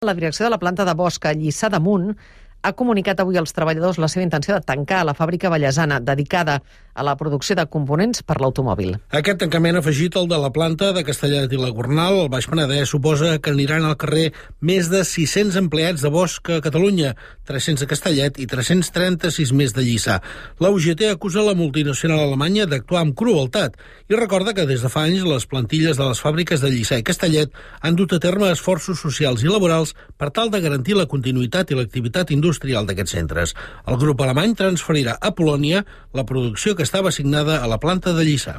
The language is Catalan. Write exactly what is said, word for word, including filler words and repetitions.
La direcció de la planta de Bosch a Lliçà d'Amunt ha comunicat avui als treballadors la seva intenció de tancar la fàbrica vallesana dedicada a la producció de components per l'automòbil. Aquest tancament afegit al de la planta de Castellet i la Gornal, al Baix Penedès, suposa que aniran al carrer més de sis-cents empleats de Bosch a Catalunya, tres-cents a Castellet i tres-cents trenta-sis més de Lliçà. La U G T acusa la multinacional alemanya d'actuar amb crueltat i recorda que des de fa anys les plantilles de les fàbriques de Lliçà i Castellet han dut a terme esforços socials i laborals per tal de garantir la continuïtat i l'activitat industrial d'aquests centres. El grup alemany transferirà a Polònia la producció que estava assignada a la planta de Lliçà.